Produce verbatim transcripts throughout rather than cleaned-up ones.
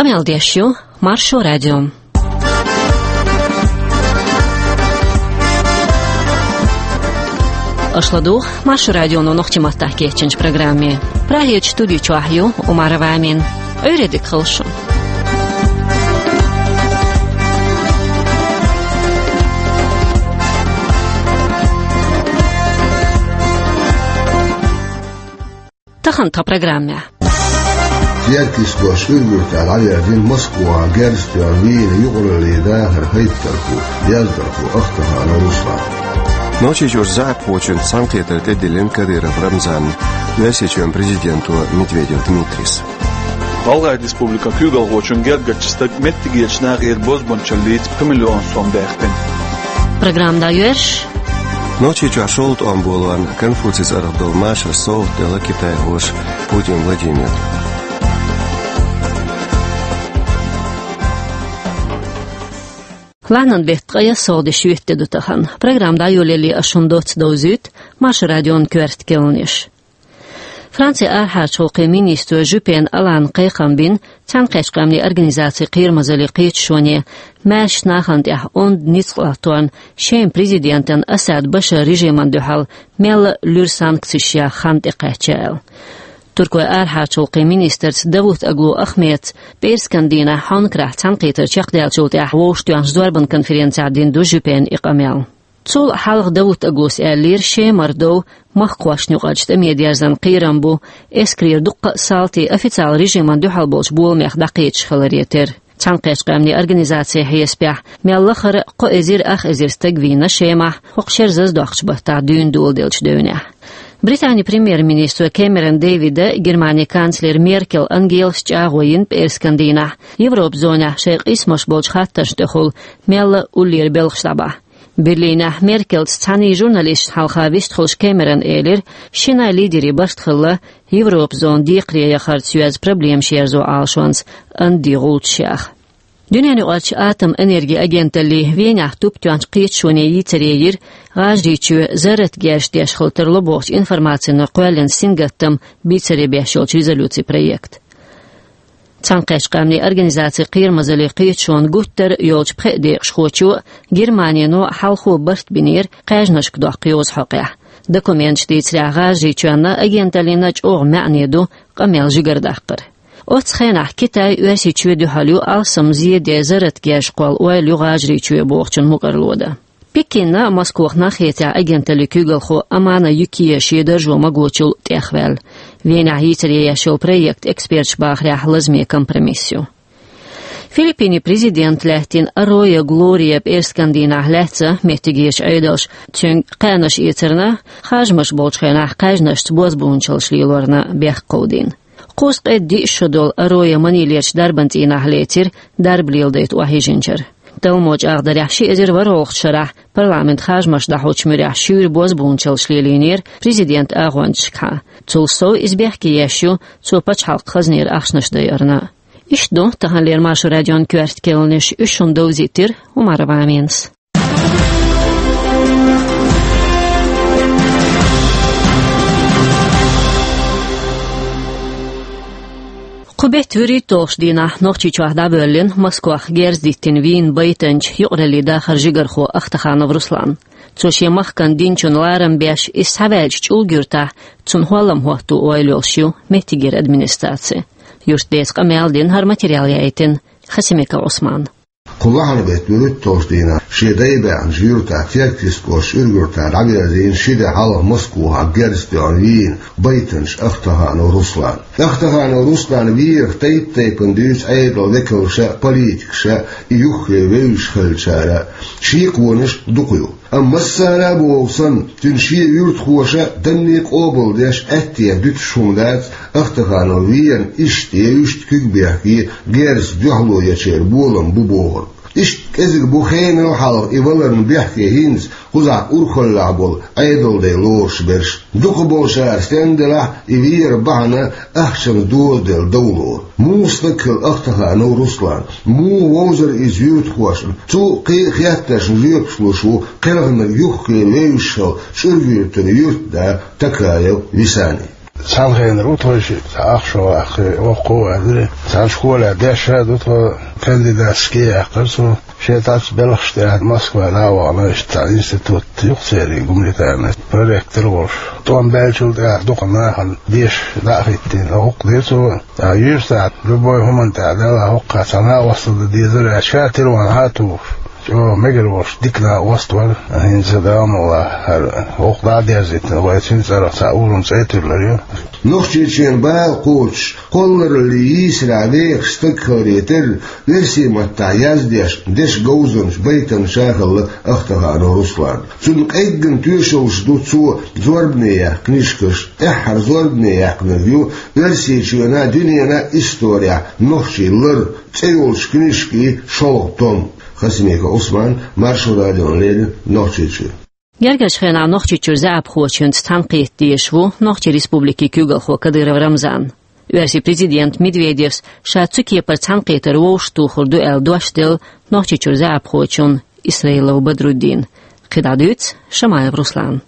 Къамел деш ю Маршо радио. Аша ладугӀу Маршо радионо нохчийн маттахь кечйинчу программе. Прагерчу студи чохь ю Умарова Амина. Ӏуьйре дика хуьлда шун. Тахана тхан программехь. Теркйистхошна Ӏуьйранна дӀаверзина Москвахь герз тоьхна вийна юкъараллин дахаран хӀайттархо, яздархо Ахтаханов Руслан. Нохчийчуьра заьӀапхочуьнца цхьаьнакхетар тӀедиллина Кадыров Рамзанна Оьрсийчоьнан президенто Медведев Дмитрийс. ГӀалгӀайн республикан куьйгалхочун гергарчу стага меттигерчу нахера бозбуунчаллица пхи миллион сом баьккхина. Программа дӀайоьрзуш. Нохчийчохь шолгӀа тӀом болорна Конфуцийс арахь долу машар совгӀат делла китайхоша Путин Владимирна. Лахьанан беттан ткъе ялх де ду тахана. Программа дӀайолале ас шуна доцца довзуьйту Маршо радион коьрта керланаш. Францин арахьарчу гӀуллакхийн министро Жюпен Алана кхайкхам бина Цхьаьнакхеттачу Къаьмнийн Организацин кхерамазаллин кхеташоне, маьршачу нахана тӀехь онда ницкъ латторна, Шеман президентан Асад Башаран режимана дуьхьал мелла а луьра санкцеш яха хан тӀекхаьчна аьлла. Туркойн арахьарчу гӀуллакхийн министрца Давутоглу Ахмедца пӀераскан дийнахь хьонкарахь цхьаьнакхетар чекхдаьллачул тӀаьхьа вовшахтоьхначу зорбанан конференцехь дина ду Жюпена и къамел. Цул хьалха Давутоглус аьллера, Шемара дов махкахошна юкъарчу тӀаме дерзан кхерам бу, эскарера дуккха а салти официалан режимана дуьхьал болчу боламех дӀакхеташ хиларе терра. Цхьаьнакхеттачу Къаьмнийн Организацин хьесапехь, мел лахара а кхо эзар ах эзар стаг вийна Шемахь, хӀокху шеран зазадоккхучу баттахь дуьйна доладеллачу девнехь. Британин премьер-министро Кэмерон Дэвида, Германин канцлера Меркел Ангелас чӀагӀо йина пӀераскан дийнахь, Европан зонехь шайн къийсамаш болчу хаттаршна тӀехула мелла а уллера белхаш дӀабахьа. Берлинехь Меркелца цхьаьний журналисташна хьалха вистхуьлуш Кэмерона элира, шиннан лидерийн барт хилла Европан зона декхаре яхарца йоьзна проблемаш ерзо Ӏалашонца андин гӀулчаш яха. Дуьненаюкъарчу атоман энергин агенталлин Венехь туп тоьхначу кхеташоне йийцаре йира ГӀажарийчоь зарратан герзаш деш хила тарло бохучу информацина кхоьллина сингаттам бийцаре беш йолчу резолюцин проект. Цхьаьнакхеттачу Къаьмнийн Организацин кхерамазаллин кхеташонан гуттар а йолчу пхеа декъашхочо а, Германино а хьалхо барт бинера кхаьжнашка доккху йоза хьокъехь. Документаша дийцарехь, ГӀажарийчоьнна а, агенталлина а чӀогӀа маьӀне ду къамел жигара даккхар. Оццу хенахь Китай Оьрсийчоьнна дуьхьал ю алсам зен ден зарратан герзаш кхолла ойла ю ГӀажарийчоь бохучун мукӀарло дан. Пекинна а, Москвахна а хетарехь агенталлин куьйгалхо Амана Юкия шен даржо магочул тӀехваьлла. Венехь йийцаре еш йолу проект, эксперташа бахарехь, лазаме компромисс ю. Филиппинийн президент лаьттина Арроя Глория пӀераскан дийнахь лаьцна меттигерчу Ӏедалша цуьнга кхаьнаш эцарна, харжамаш болчу хенахь кхаьжнашца бозбуунчаллаш лелорна бехк кховдийна. Кхузткъе диъ шо долу Арроя Манилерчу дарбан цӀийнахь лецира дарба леладайта охьайижинчара. Талламо чӀагӀдарехь, ши эзар ворхӀалгӀачу шарахь парламентан харжамаш дӀахьочу муьрехь шуьйра бозбуунчаллаш лелийнера президентан агӀончашкахьа. Цул сов иза бехке еш ю цо пачхьалкхан хазнера ахчанаш дайарна. Иштта ду таханлера Маршо радион коьрта керланаш, уьш шуна довзийтира Умарова Аминас. Кху беттан вуьрхӀитталгӀачу дийнахь Нохчийчохь дӀабоьллина Москвахь герз диттина вийна байтанчу юкъараллин дахаран жигархо Ахтаханов Руслан. Цо шен махкана динчунна ларам беш, иза схьаваьллачу ЧӀулга-Юьртахь цунна хӀоллам хӀотто ойла йолуш ю меттигера администраци. Юьртдеца къамел дина, хӀара материал яийтина Хасимиков Ӏусмана. Кху лахьанан беттан вуьрхӀитталгӀачу дийнахь шен дай баьхначу юьртахь, Теркйистхошна Ӏуьйранна дӀаверзийна ши де хьалха Москвахь герз тоьхна вийна байтанчу Ахтаханов Руслан. Ахтаханов Руслан верах тайп-тайпана дуьйцу Ӏедалан векалша а, политикаша а, и юххе вевзаш хиллачара а. Шеконаш дукха ю. Амма массара а боху санна, цуьнан шен юьртахоша а данне къобалдеш, аьттехьа дуьтуш хӀума дац, Ахтаханов верна иштта я иштта куьг бехке, герзаца дуьхьало ечеран болам бу бохург. Иштта кӀезиг бу хенал хьалха и валарна бехке хӀинца кхузахь урхаллехь болу Ӏедалан дай лоруш берш. Дукхахболчара стенна делахь а, и вер бахьана ахчанца дозаделла дов лору. Муха стаг хилла Ахтаханов Руслан? Муха вовзара иза юьртахошна? Цу кхин а хеттаршна жоьпаш луш ву кхелхинарг юххе вевзаш хилла ЧӀургуьртара юьртда Такаев Висани. Цхьана хенара ву тхо ши, цхьа ах шо ваккхий, воккхо а ваьлира. Цхьана школехь дешша ду тхо, кандидатский яьккхира цо. Шен цхьацца белхаш тӀехь Москва дӀа а вахана, иштта цхьа институт ю-кх церан гуманитарный, проректор волуш. ТӀом баьллачул тӀаьхьа дукха нахана деша дӀа а хӀиттийна, хӀокху дира цо. Ткъа юьртахь любой хӀуманна тӀехь делахь, хӀокху цхьа накъосталла дан дезара аьлла, ша тилван хьа а тухуш, чӀогӀа мегар волуш дика накъост вара. ХӀинца, Дала мукъ лахь, хӀара хӀокху дӀа а дерзийтина, вай цуьнан цӀарах цхьа урам цӀе а туьллур ю. Нохчийчоьнан бала кхочуш, кхоллараллин йийсарехь вехаш стаг хиларе терра, оьрсийн маттахь яздеш, дешан говзанча, байтанча а хилла Ахтаханов Руслан. Цунна къеггина тоьшаллаш ду цо зорбане яьккхина книжкаш. ТӀаьххьара зорбане яьккхинарг ю Оьрсийчоьнан, дуьненан исторехь нохчийн лар цӀе йолчу книжкийн шолгӀа том. Хасимиков Ӏусман, Маршо радиона леррина, Нохчийчоь. Гергарчу хенахь Нохчийчуьра заьӀапхочуьнца цхьаьнакхета дезаш ву Нохчийн Республикин куьйгалхо Кадыров Рамзан. Оьрсийн президента Медведевс ша цу кепара цхьаьнакхетар вовшахтухур ду аьлла дош делла Нохчийчуьра заьӀапхочунна Исраилов Бадруддина. КхидӀа дуьйцу Шамаев Руслана.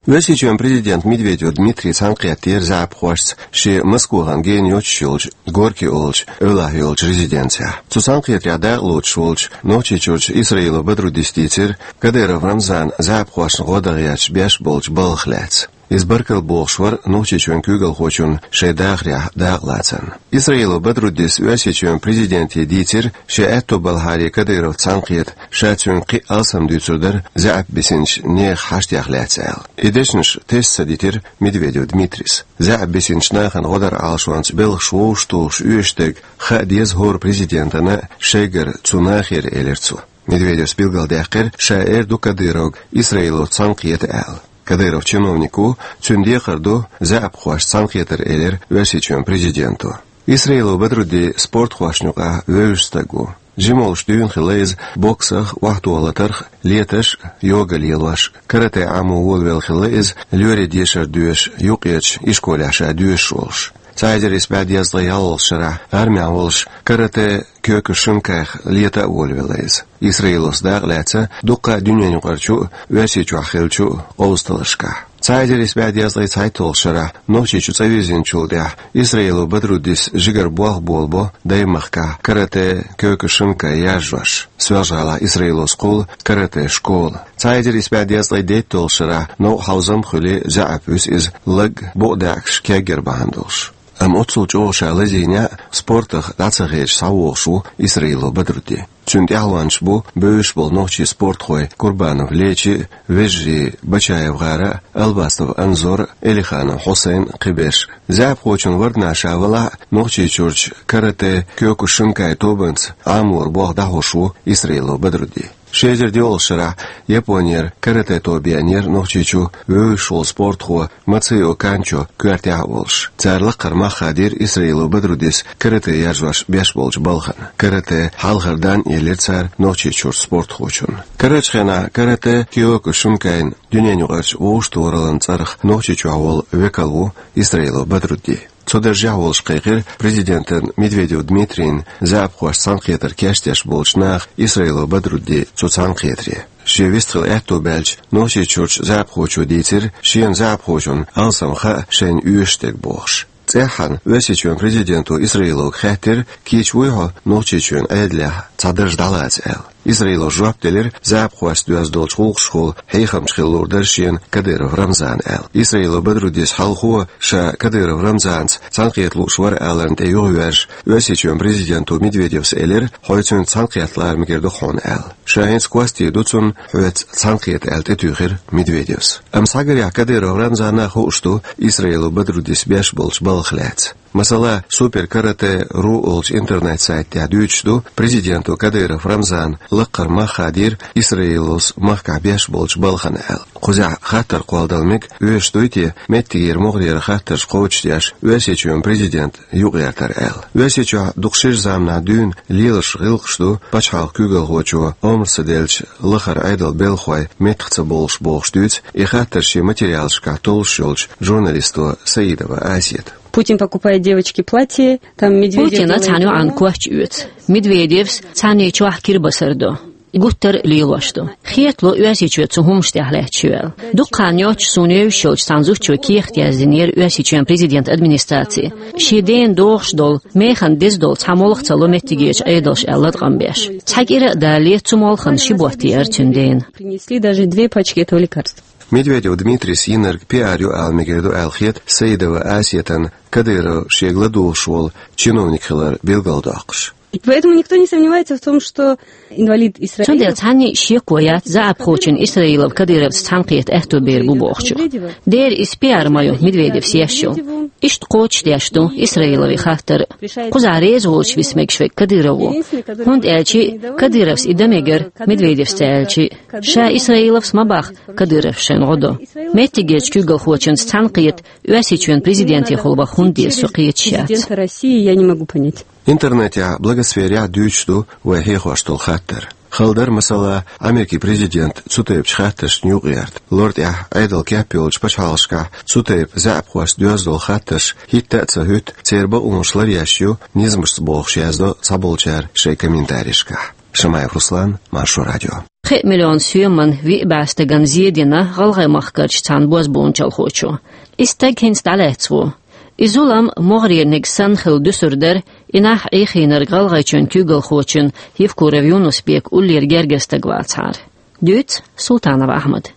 Оьрсийчоьнан президент Медведев Дмитрий цхьаьнакхеттера заьӀапхошца шен Москвахана гена йоцуш йолчу Горький олучу эвлахь йолчу резиденцехь. Цу цхьаьнакхетарехь дакъалоцуш волчу Нохчийчуьрчу Исраилов Бадруддис дийцира Кадыров Рамзана заьӀапхошна гӀо дан гӀерташ беш болчу балхах лаьцна. Иза баркалла бохуш вара Нохчийчоьнан куьйгалхочунна шайн дахарехь дакъалацарна. Исраилов Бадруддис Оьрсийчоьнан президенте дийцира, шен аьтто балхьаре Кадыровца цхьаьнакхета, ша цуьнга кхин а алсам дуьйцур дара заьӀап бисинчу нехан хьаштех лаьцна аьлла. И дешнаш тесна ца дитира Медведев Дмитрийс. ЗаьӀап бисинчу нахана гӀо даран Ӏалашонца белхаш вовшахтухуш оьшург хаа деза хӀора президентана, шайгара цу нахера, элира цо. Медведевс билгалдаьккхира, ша эр ду Кадыровга Исраиловца цхьаьнакхета аьлла. Кадыров чиновник ву, цуьнан декхар ду заьӀапхошца цхьаьнакхетар, элира Оьрсийчоьнан президенто. Исраилов Бадрудди спортхошна юкъахь вевзаш стаг ву. Жима волуш дуьйна хилла иза боксах, охьатохалатарх, леташ а, йога лелош а. Карате Ӏамо волавелла хилла иза, лоьрийн дешар доьшуш, юккъерчу ишколехь ша доьшуш волуш. Цхьа эзар исс бӀе дезткъе ялхалгӀачу шарахь, армехь волуш, карате Кёкушинкайх лета а волавелла иза. Исраиловца дакъа лаьцна дуккха а дуьненаюкъарчу а, Оьрсийчохь хиллачу а къовсамашкахь. Цхьа эзар исс бӀе дезткъе цхьайтталгӀачу шарахь Нохчийчу цӀа вирзинчул тӀаьхьа Исраилов Бадруддис жигара болх болабо Даймахкахь карате Кёкушинкай яржош, Соьлжа-ГӀалахь Исраиловс кхуллу карате школа. Цхьа эзар исс бӀе дезткъе дейтталгӀачу шарахь новкъа хьовзам а хуьлий, заьӀап вуьсу иза лаг букъ даьӀахкаш кегйар бахьана долуш. Амма оццул чӀогӀа ша лазийнехь а спортах дӀа ца хедаш схьавогӀуш ву Исраилов Бадрудди. Цуьнан тӀаьхьалонаш бу бевзаш болу нохчийн спортхой Курбанов Лечи а, вежарий Бачаев ГӀара а, Албастов Анзор а, Элиханов Хьусайн а, кхиберш а. ЗаьӀапхочун варданахь ша валахь а, Нохчийчуьрчу карате Кёкушинкай тобанца Ӏаморан болх дӀахьош ву Исраилов Бадрудди. Ши эзар диъалгӀачу шарахь Японера карате тоба еанера Нохчийчу вевзаш волу спортхо Мацио Канчо коьртехь а волуш. Цара лакхара мах хадийра Исраилов Бадруддис карате яржош беш болчу балхана. Карате хьалхара дан а елира цара Нохчийчуьрчу спортхочунна. Карарчу хенахь карате Кёкушинкайн дуьненаюкъарчу вовшахтохараллин цӀарах Нохчийчохь волу векал ву Исраилов Бадрудди. Цу даржехь волуш кхайкхира президентан Медведев Дмитрийна заьӀапхошца цхьаьнакхетар кечдеш болчу наха Исраилов Бадрудди цу цхьаьнакхетаре. Шен вистхила аьтто баьлча, Нохчийчуьрчу заьӀапхочо дийцира, шена заьӀапхочунна алсам хаьа шайна оьшуш дерг бохуш. ЦӀеххьана Оьрсийчоьнан президенто Исраиловга хаьттира, кийча вуй хьо Нохчийчоьнан Ӏедалехь цхьа дарж дӀалаца аьлла. Исраилов жоп делира, заьӀапхошца доьзна долчу гӀуллакхашкахула хьехамча хила луур дара шена Кадыров Рамзана аьлла. Исраилов Бадруддис хьалхо ша Кадыров Рамзанца цхьаьнакхета лууш вара аларна тӀе юхавоьрзуш, Оьрсийчоьнан президенто Медведевс элира, хьо цуьнца цхьаьнакхетта лара мегар ду хьуна аьлла. Ша хӀинца костий ду цунна хьоьца цхьаьнакхета аьлла тӀетуьйхира Медведевс. Амма схьагарехь Кадыров Рамзана хууш ду Исраилов Бадруддис беш болчу балхах лаьцна. Масала, Супер Карате ру олучу интернет-сайта тӀехь дуьйцуш ду, президенто Кадыров Рамзана лакхара мах хадийра Исраиловс махкахь беш болчу балхана аьлла. Кхузахь хаттар кхолладала мега, оьшуш дуй те меттигера могӀарера хаттарш кхочушдеш Оьрсийчоьнан президент юкъагӀертар аьлла. Оьрсийчохь дукха шира заманахь дуьйна лелаш гӀиллакхаш ду пачхьалкхан куьйгалхочо омра ца делча лахара Ӏедалан белхахой меттах ца болуш бохуш дуьйцу и хаттар шен материалашкахь толлуш йолчу журналисто Саидова Асета. Путин покупает девочке платье, там Медведев Путина делает цхьана йоӀанна ему коч оьцу. Медведевс цхьаьна чохь кирбасар до. гуттар а лелош ду. Хетало, Оьрсийчоь цу хӀуманаш тӀехь лаьтташ ю аьлла. Дукха хан йоццуш суна евзаш йолчу цхьана зудчо кехат яздинера Оьрсийчоьнан президентан администраце. Шен дена догӀуш долу, механа деза долу цхьа молха ца ло меттигерчу Ӏедалша аьлла латкъам беш. Цхьа кӀира а далале, цу молхана ши ботт еара цуьнан дена. Принесли даже две пачки этого лекарства. Медведев Дмитрийс йинарг пиар ю ала мегар ду аьлла хета Саидова Асетана, Кадыров шега ладугӀуш волу чиновник хилар билгалдоккхуш. Поэтому никто не сомневается в том, что инвалид Исраилов... Цундела цхьанна а шеко яц заьӀапхочун Исраилов Кадыровца цхьаьнакхета аьтто бер бу бохучух. Дера иза пиар ма ю Медведевс еш йолу. Иштта кхочушдеш ду Исраиловн хаттар. Кхузахь реза волчу виса мегаш верг Кадыров ву. ХӀунда аьлча Кадыровс и дан мегар, Медведевс ца аьлча. Ша Исраиловс ма боху Кадыровс шайна гӀо до. Меттигерчу куьйгалхочуьнца цхьаьнакхета Оьрсийчоьнан президентехула ваха хӀунда деза, со кхеташ яц. Президента России я не могу понять. Интернетехь, блогосферехь дуьйцуш ду вай хьехош долу хаттар. Хала дара, масала, Америкин президент цу тайпачу хаттаршна юкъаерта. Лор тӀехь Ӏедал кеп йолчу пачхьалкхашкахь цу тайпа заьӀапхошца доьзна долу хаттарш хӀитта а ца хӀуьтту, церан бакъонаш ларъеш ю низамашца бохуш, яздо цхьаболчара шайн комментарийшкахь. Шамаев Руслан, Маршо радио. Пхи миллион соьман виъ бӀе стагана зе дина гӀалгӀай махкарчу цхьана бозбуунчалхочо. И стаг хӀинца дӀалаьцна ву. И зулам могӀарерниг санна хилла дуьсур дара, и нах Ӏехийнарг ГӀалгӀайчоьнан куьйгалхочун Евкуров Юнус-Бекан уллера гергара стаг вацахьара. Дуьйцу Султанов Ахьмада.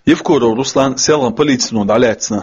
Евкуров Руслан селхана полицино дӀалаьцна.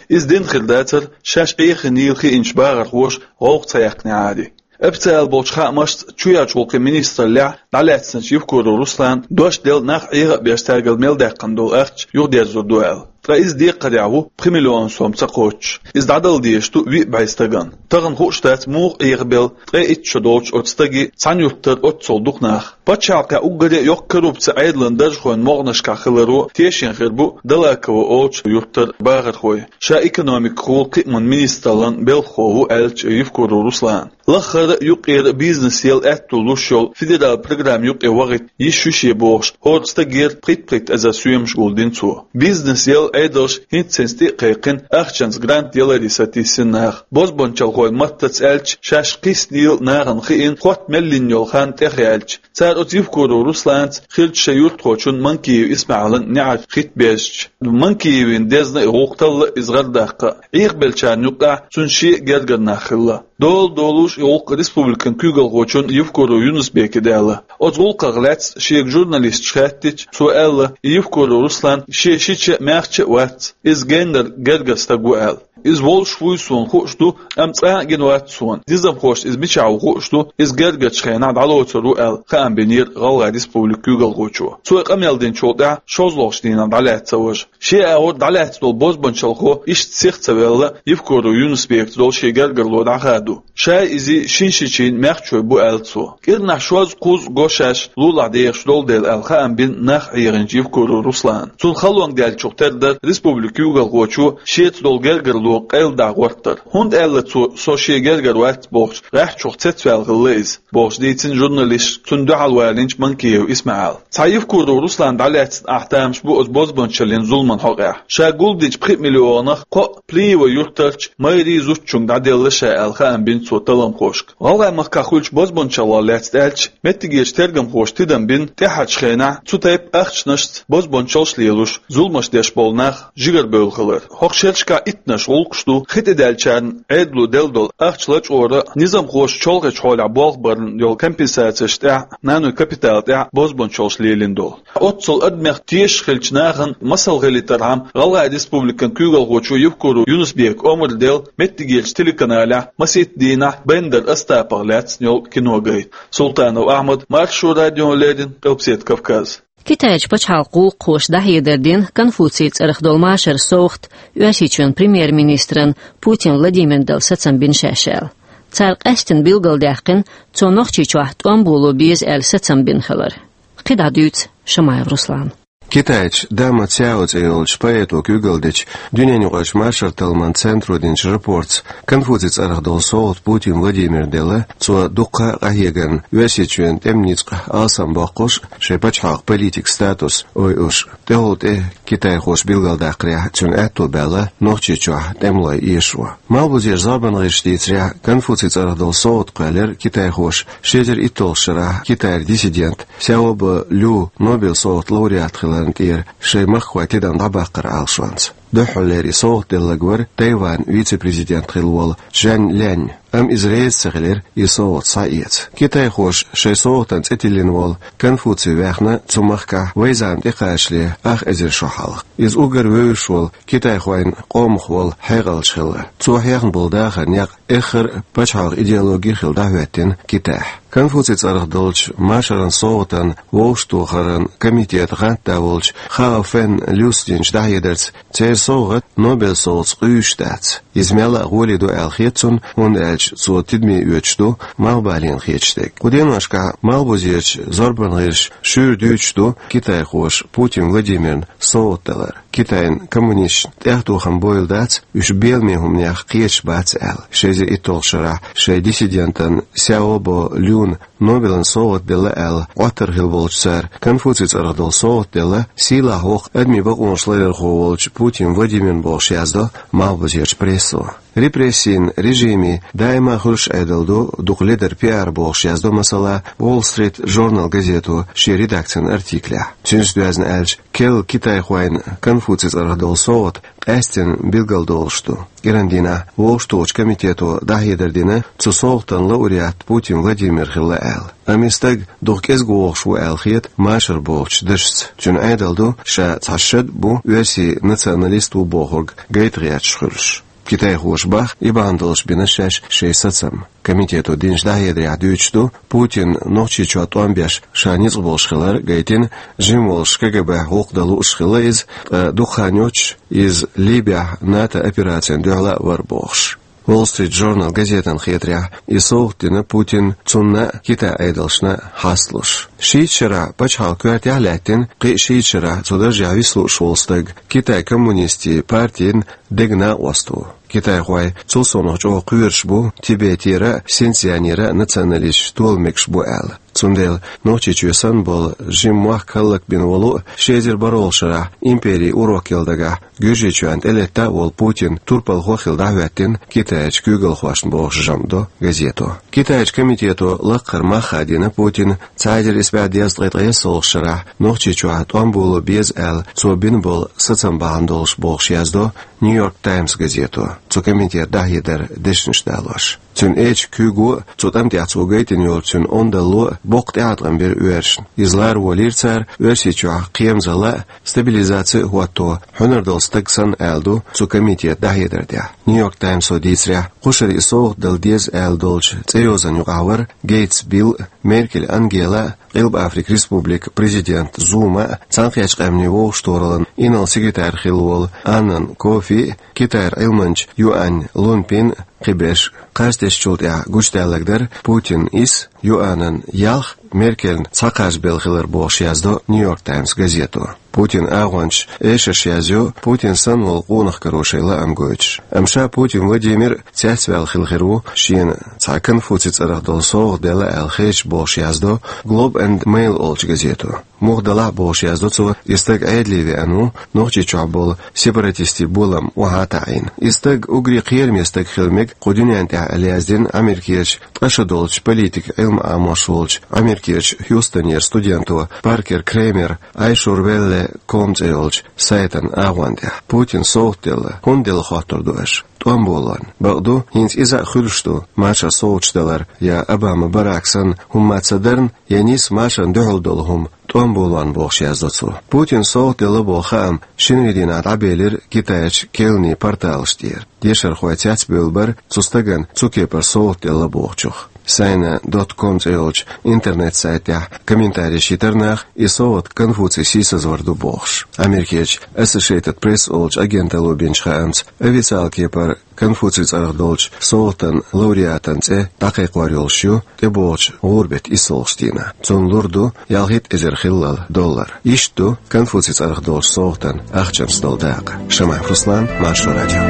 Иза дина хир дацара, шаьш Ӏехийнийла хиъначу бахархоша гӀовгӀа ца яьккхинехьара. Официалан болчу хаамашца, чоьхьарчу гӀуллакхийн министраллехь дӀалаьцначу Евкуров Руслана дош делла, нах Ӏеха а беш, цаьргара мел даьккхина долу ахча юхадерзор ду аьлла. Ткъа иза декхарехь ву пхи миллион сом ца кхоччуш. Иза дӀадала дезаш ду виъ бӀе стагана. Тахана хууш дац муха Ӏехабелла ткъе итт шо долчу оцу стаге цхьана юьртара оццул дукха нах. Пачхьалкхехь уггаре а йоккха коррупци Ӏедалан даржхойн могӀанашкахь хиларо тешна хир бу Далаково олучу юьртара бахархой. Ша экономикахула кхиаман министраллан белхахо ву аьллачу Евкуров Руслана. Лаххара а, юккъера а бизнес яла аьтто луш йолу федералан программа юкъе вахийта йиш ю шен бохуш, хӀора стагера пхийтта-пхийтта эзар соьмаш гулдина цо. Бизнес яла Ӏедалша хӀинца-хӀинца тӀе а кхайкхина, ахчанца грант яларе сатийсина нах. Бозбунчалхойн маттаца аьлча, шаьш кхиссинийла нахана хиъна, хотта мел йина йолу хан тӀехъяьлча, цара оцу Евкуров Русланца хиллачу шайн юьртахочун Манкиев ИсмаӀилан неӀарш хӀитта бежча. Манкиевна дезна и гӀуллакх талла, иза гӀардаккха а. Ӏехабеллачарна юкъахь цуьнан шен а гергара нах хилла. Дола долуш и гӀуллакх республикан куьйгалхочун Евкуров Юнус-Бекан даьлла. Оцу гӀуллакхах лаьцна шега журналисташа хаьттича, цо аьлла, и Евкуров Руслан шен шича а, маьхча а вац, иза геннара гергара стаг ву аьлла. Иза волуш вуй суна хууш ду, амма цкъа а гина вац суна. Низамхошна иза мичахь ву хууш ду, иза гергарчу хенахь дӀалоцур ву аьлла, хаам бинера ГӀалгӀайн Республикан куьйгалхочо. Цо и къамел динчул тӀаьхьа шозлагӀчу дийнахь дӀалаьцна ца важа. Шен агӀор дӀалаьцна долу бозбунчалхо иштта сиха ца велла, Евкуров Юнус-Бекаца долу шен гергарло дӀахаду. Шай, изий шин шичийн маьхчой бу аьлла цо. КӀирнахь шозза-кхузза го шаьш лулахь дехаш долу дела аьлла, хаам бина нах Ӏехийначу Евкуров Руслана. Цунна халонга даьллачух тера дара республикан куьйгалхочо шеца долу гергарло къайладахьа гӀортар. ХӀунда аьлла цо, со шен гергара вац бохуш, гӀаьххьачух цецваьлла хилла иза, бохуш дийцина журналисташка цунна дуьхьал валийначу Манкиев ИсмаӀила. Цхьа Евкуров Руслан дӀалаьцна ахь тамаш бу оцу бозбунчаллин зуламан хьокъехь. Ша гулдинчу пхи миллионах кхоъ Плиево юьртарчу мэрин зудчуьнга дӀаделла ша аьлла, хаам бина цо талламхошка. ГӀалгӀай махкахь хуьлучу бозбунчаллах лаьцна аьлча, меттигерчу тергамхоша тидам бина, тӀаьхьарчу хенахь цу тайпа ахчанашца бозбунчаллаш лелош, зуламаш деш болу нах жигара бевлла хилар. ХӀокху шерашкахь иттанаш гӀуллакхаш ду хи тӀедаьллачарна Ӏедало делла долу ахча лачкъоран а, низамхоша чолхечу хьолехь болх барна йолу компенсацеш тӀехь, нанойн капитал тӀехь бозбунчаллаш лелийна долу. Оццул адамех тешаш хиллачу нахана масал хилийтархьама, ГӀалгӀайн Республикан куьйгалхочо Евкуров Юнус-Бека омра делла меттигерчу телеканалехь масийтта дийнахь Бендер Остапах лаьцна йолу кино гайта. Султанов Ахьмад, Маршо радиона леррина, Къилбаседа Кавказ. Китайчу пачхьалкхан гӀуллакххоша дӀахьедар дина Конфуций цӀарах долу машаран совгӀат Оьрсийчоьнан премьер-министран Путин Владимиран дала сацам бина шаьш аьлла. Цара къаьстина билгалдаьккхина цо Нохчийчохь тӀом боло беза аьлла сацам бина хилар. КхидӀа дуьйцу Шамаев Руслана. Китайчу Дама Цяо цӀе йолчу поэто куьйгалла дечу дуьненаюкъарчу машар-талламан центро динчу рапортца Конфуций цӀарах долу совгӀат Путин Владимира делла, цо дуккха а къахьегарна Оьрсийчоьнан тӀеман ницкъ алсамбоккхуш, шайн пачхьалкхан политикан статус ойуш, тӀехула тӀе китайхоша билгалдаккхарехь, цуьнан аьтто баьлла Нохчийчохь тӀемалой эшо. Малхбузерчу зорбанан гӀирсаша дийцарехь, Конфуций цӀарах долу совгӀат кхоьллира китайхоша ши эзар итталгӀачу шарахь Китайра диссидент Сяобо Лю Нобелан совгӀатан лауреат хиларна тӀера шайн махкахой тидам дӀабаккхаран Ӏалашонца. Дуьххьарлера и совгӀат делларг вара Тайванан вице-президент хилла волу Чжан Лянь, амма иза реза ца хилира и совгӀат схьаэца. Китайхоша шайн совгӀатан цӀе тиллина волу Конфуций ваьхна цу махкахь вайн зама тӀекхачале ах эзар шо хьалха. Иза уггар вевзаш волу китайхойн къомах волу хьекъалча хилла. Цо хьехна болу дахаран некъ эххар а пачхьалкхан идеологи хилла дӀахӀоьттина Китайхь. Конфуций цӀарах долчу машаран совгӀатан вовшахтохаран комитетан гӀантда волчу Хао Фен Люс динчу дӀахьедарца, церан совгӀат Нобелан совгӀатца къуьйсуш дац. Иза мелла а гӀоле ду аьлла хета цунна, хӀунда аьлча цо тидаме оьцуш ду малхбалена хеташ дерг. Кху деношкахь Малхбузерчу зорбанан гӀирсаша шуьйра дуьйцуш ду китайхоша Путин Владимирна совгӀат далар. Китайн коммунисташна тӀехтохам бойла дац уьш беламе хӀуманех кхеташ бац аьлла. Ши эзар итталгӀачу шарахь шайн диссидентана Сяобо Люна Нобелан совгӀат делла аьлла, Ӏоттар хилла болчу цара Конфуций цӀарах долу совгӀат делла сийлахь воккха адамийн бакъонаш ларъярхо волчу Путин Владимирна, бохуш яздо малхбузерчу прессо. Репрессийн режимийн даима а хуьлуш Ӏедал ду дукха ледар пиар, бохуш яздо, масала, Wall Street Journal газето шен редакцин артиклехь. Цуьнца доьзна аьлча, керла китайхойн Конфуций цӀарах долу совгӀат къаьсттина билгалдолуш ду. КӀиран дийнахь вовшахтохучу комитето дӀахьедар дина, цу совгӀатан лауреат Путин Владимир хилла аьлла. Амма и стаг дукха кӀезиг вогӀуш ву аьлла хета машар бохучу дашца. Цуьнан Ӏедал ду, ша цхьа шад бу, оьрсийн националист ву бохург гайта гӀерташ хуьлуш. Китайхоша боху, и бахьана долуш бина шаьш шайн сацам. Комитето динчу дӀахьедарехь дуьйцуш ду, Путин Нохчийчохь тӀом беш ша ницкъ болуш хилар гайтина, жима волуш КГБ-хь гӀуллакх дан лууш хилла иза, ткъа дукха хан йоццуш иза Ливехь НАТО операцина дуьхьал а вара бохуш. Wall Street Journal газетана хетарехь, и совгӀат дина Путина цунна а, Китайн Ӏедалшна а хьасталуш. Шийтта шарахь пачхьалкхан коьртехь а лаьттина, кхин а шийтта шарахь цу даржехь виса лууш волу стаг Китайн коммунистийн партин дега накъост ву. Китайхой цул совнаха чӀогӀа кхоьруш бу Тибетера а, Синьцзянера а националисташ тола мегаш бу аьлла. Цундела Нохчийчоь санна болу жима мохк хӀаллакбина волу а, ши эзар бархӀалгӀачу шарахь империн урок яла дагахь Гуьржийчоьнна тӀелетта а волу Путин турпалхо хилла дӀахӀоьттина Китайчу куьйгалхошна, бохуш жамӀ до газето. Китайчу комитето лакхара мах хадийна Путина цхьа эзар исс бӀе дезткъе ткъайоьсналгӀачу шарахь Нохчийчохь тӀом боло беза аьлла, цо бина болу сацам бахьана долуш, бохуш яздо Нью-Йорк Таймс газето, цу комитетан дӀахьедар дешнаш далош. Цуьнан эчан куьйго а, цу тӀам тӀехь цо гайтина йолу цуьнан ондалло а боккха тӀеӀаткъам бира оьрсашна. Иза лара волийра цара Оьрсийчохь кхерамзалла а, стабилизаци а хӀотто, хьуьнар долу стаг санна, аьлла ду цу комитетан дӀахьедар тӀехь. Нью-Йорк Таймсо дийцарехь, кхушара и совгӀат дала деза аьлла долчу цӀейозанна юкъахь вара Гейтс Билл а, Меркель Ангела а, Къилба Африкан Республикан президент Зума а, Цхьаьнакхеттачу Къаьмнийн Вовшахтохараллан инарла секретарь хилла волу Аннан Кофи а, Китайра Ӏилманча Юань Лунпин а, кхиберш. Кхаж тесначул тӀаьхьа гучудаьлларг дара Путинан ис, Юанан ялх Меркельна цхьа кхаж белла хилар, бохуш яздо Нью-Йорк Таймс газето. Путинан агӀончаша эшарш язйо, Путин санна волу къонах каро шайн лаам гойтуш. Амма ша Путин Владимир цецваьлла хилла хир ву, шена цхьа Конфуций цӀарах долу совгӀат делла аьлла хеташ, бохуш яздо Globe and Mail олучу газето. Муха делахь а, бохуш яздо цо, и стаг Ӏедале веана ву, Нохчийчохь болу сепаратистийн болам охьа а таӀийна. И стаг уггаре кхераме стаг хила мега кху дуьнен тӀехь аьлла, яздина Америкерчу ткъа шо долчу политикан Ӏилма Ӏамош волчу Америкерчу Хьюстонера студенто Паркер Кремера Ай шур велле ком цӀе йолчу сайтан агӀон тӀехь. Путина совгӀат делла, хӀунда делла, хоттур ду аша. ТӀом болон. Бакъду, хӀинца иза а хуьлуш ду, машар совгӀаташ далар, я Обама Барак санна хӀумма ца дарна, я нийса машарна дуьхьал долу хӀума, тӀом болон, бохуш яздо цо. Путина совгӀат делла боху хаам шинарин дийнахь дӀабелира Китайчу керланийн порталаш тӀера. Дешархой цецбевлла бара цу стагана цу кепара совгӀат делла бохучух. Сайна dot com цӀи йолчу интернет-сайтехь комментарийш йитира наха, и совгӀат Конфуций сийсазвар ду бохуш. Америкерчу Associated Press олучу агенталло бинчу хаамца, официалан кепара Конфуций цӀарах долчу совгӀатан лауреатан цӀе дӀакхайкхор йолуш ю тӀебогӀучу гӀуран беттан иссалгӀачу дийнахь. Цунна лур ду ялхитта эзар хиллал доллар. Иштта ду Конфуций цӀарах долчу совгӀатан ахчанца долу дакъа. Шамаев Руслан, Маршо радио.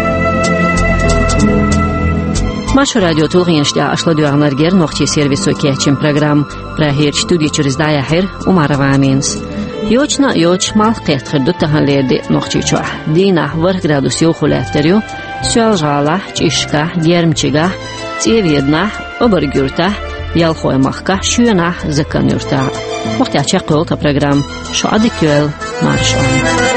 Маршо радион тулгӀенаш тӀехь аша ладоьгӀнарг яра нохчийн сервисо кечйина программа. Прагерчу студи чуьра иза дӀаяьхьира Умарова Аминас. Йочана а йоцуш, малх кхетта хир ду таханлера де Нохчийчохь. Дийнахь ворхӀ градус йовхо лаьттар ю Соьлжа-ГӀалахь, ЧӀишкахь, Гермчигахь, ЦӀеведанахь, Обарг-Юьртахь, Ялхой-Махкахь, Шоьнахь, Закан-Юьртахь. ХӀокху тӀехь чекхйолу тхан программа. Шу Ӏадика йойла, марша Ӏойла.